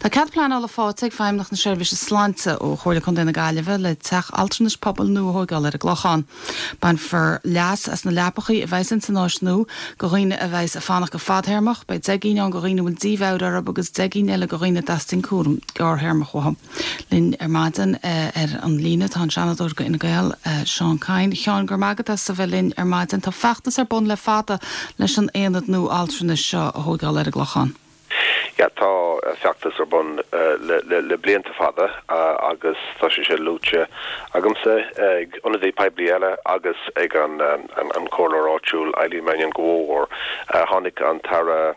Tá cead pleanála faighte ag Feidhmeannacht na Seirbhíse Sláinte ó Chomhairle Contae na Gaillimhe le teach altranais pobail nua a thóigeáil ar an gClochán. Bainfear leas as na leapachaí a bheas ins an áis nua go dhaoine a bheas ag fanacht go fadthéarmach, beidh 10 gcinn ann go dhaoine a bhfuil dímheabhair orthu agus 10 gcinn eile go dhaoine a dteastaíonn cúram gearrthéarmach uathu. Linn ar maidin ar an líne tá an Seanadóir go Fhine Gael, Seán Kyne. A Sheáin, go raibh maith agat as a bheith linn ar maidin. Tá feachtas ar bun le fada leis an aonad nua altranais seo a thóigeáil ar an gClochán. Yeah, tá feachtas ar bun le blianta fada agus tá sé sin luaite agamsa, ag ionadaí poiblí eile agus ag an comhairleoir áitiúil Eileen Mannion go mórmhór. Tháinig an tAire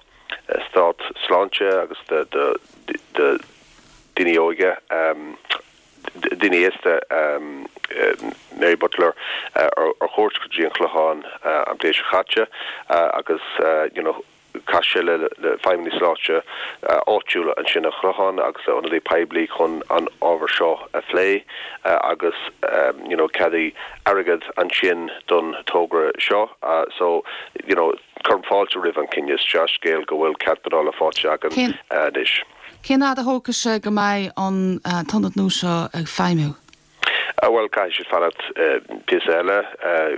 Stáit Sláinte agus do Daoine Óige, Daoine Aosta, Mary Butler ar chuairt go dtí an Clochán an bhliain seo caite agus you know chas sé le feidhmeannaigh sláinte áitiúla ansin an Clochán agus le ionadaí poiblí chun an ábhar seo a phlé agus you know ceadaíodh airgead ansin don togra seo so you know cuirim fáilte roimh an cinneadh. Is dea-scéal go bhfuil cead pleanála faighte againn anois. Cén fhad a thógfaidh sé go mbeidh an t-ionad nua seo ag feidhmiú? Bhuel, caithfidh siad fanacht píosa eile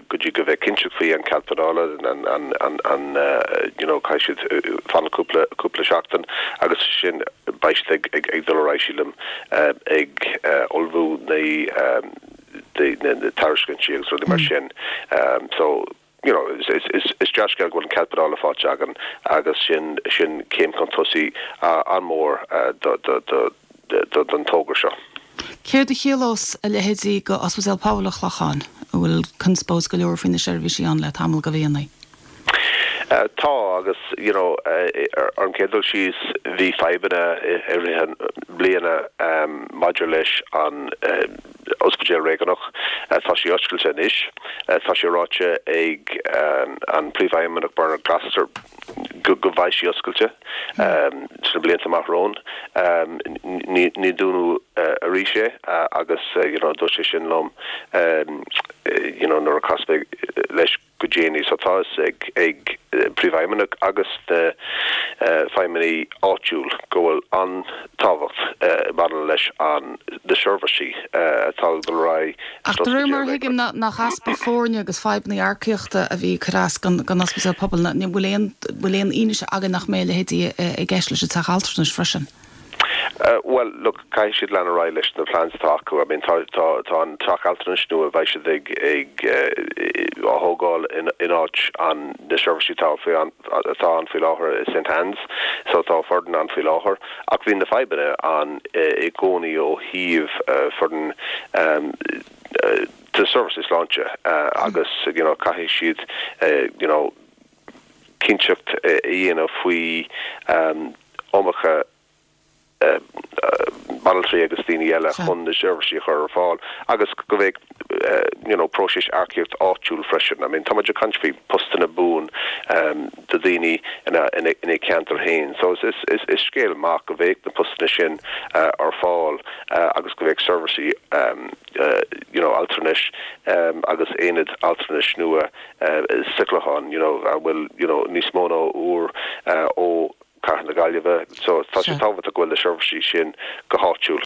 go dtí go mbeidh cinnteacht faoi an cead pleanála, an, you know, caithfidh siad fanacht cúpla, cúpla seachtain agus ansin beidh siad ag, ag, ag dul ar aghaidh, sílim, ag ullmhú na, na tairiscintí agus rudaí mar sin. So. you know, is dea-scéal go bhfuil an cead pleanála faighte againn agus sin, sin céim chun tosaigh an-mhór don togra seo. Céard a chiallós a leithéidí go Ospidéal Pobail an Chlocháin, a bhfuil conspóid go leor faoi na seirbhísí ann le tamall go mhíonna? Tá, agus you know, ar an chéad dul síos bhí fadhbanna i rith an bliana maidir leis an Ospidéal Réigiúnach. Tá sé oscailte anois. Tá sé ráite ag an Príomhfheidhmeannach Bernard Gloster go mbeidh sí oscailte sna blianta amach romhainn. Ní dúnadh arís é agus you know dúirt sé sin liom you know nuair a chas mé leis. go déanaí. So tá fhios ag ag Príomhfheidhmeannach agus na feidhmeannaigh áitiúil go bhfuil an-tábhacht maidir leis an na seirbhísí atá ag dul ar aghaidh Ach de réir mar a thuigim nach easpa foirne agus fadhbanna earcaíochta a bhí ag cur as don Ospidéal Pobail. Bhfuil aon bhfuil aon fhianaise againn nach mbeidh a leithéidí i gceist leis an teach altranais freisin? Bhuel, look, caithfidh siad lean ar aghaidh leis na plans atá acu. I mean, tá, tá, tá an teach altranais nua, beidh siad ag, ag, á thógáil in, in áit an, na seirbhísí atá faoi, atá ann faoi láthair i St Anne's. So tá foireann ann faoi láthair. Ach bhí na fadhbanna ann i gcónaí ó thaobh foireann de seirbhísí sláinte agus, you know, caithfidh siad, you know, cinnteacht a dhéanamh faoi iomarca banaltraí agus daoine eile chun na seirbhísí a chur ar fáil agus go mbeidh you know próiseas earcaíocht áitiúil freisin. I mean tá muid ag caint faoi postanna buan do daoine ina ina ceantar féin so is is is scéal maith go mbeidh na postanna sin ar fáil agus go mbeidh seirbhísí you know altranais agus aonad altranais nua sa Chlochán you know a bhfuil you know níos mó ná uair ó Cathair na Gaillimhe so tá sé tábhachtach go bhfuil na seirbhísí sin go háitiúil.